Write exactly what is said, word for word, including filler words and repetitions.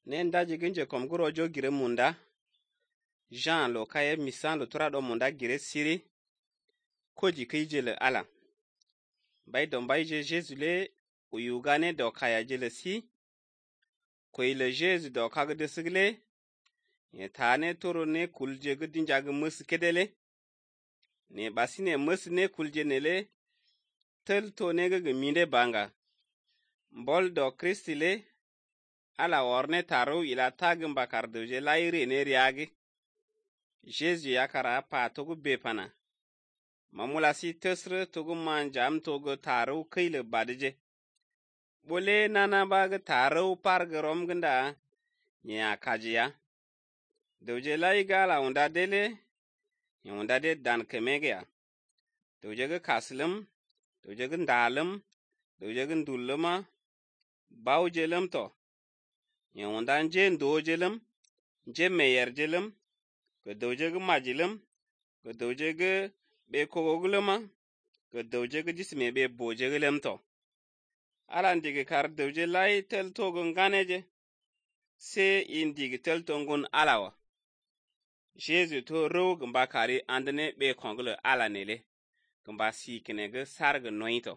nen daji ginje kom guro jo gire munda Jean lo kaye misan lo tura do munda gire siri koji kije le ala bai don bai je Jésus le uyugane do kaya jele si ko ile Jésus do kaga de sigle ye tane toro ne kulje gudin jaga mus kedele ne basine mus ne kulje nele tel to ne ga minde banga mbol do Kristi le ala worne taro ila tagin bakar doje laire ne riagi Jésus yakara pa togu bepana mamula si tesre togu manjam togu taro kile badje bole nana baga taro pargrom ganda nya kajiya doje lai gala unda dele unda de dan kemegya doje ga kaslim doje ga ndalim doje ga ndulma bawjelem to nya unda nje ndojelem nje meyer jelem ko doje ga majilem ko doje ga be kogoglema ko doje ga jisme be boje gelem to alan dige kar doje lai tel togun ganeje se indigi tel tongun alawa Jésus to ro gamba kari andene be konglo ala nele gamba si kine ga sarga noito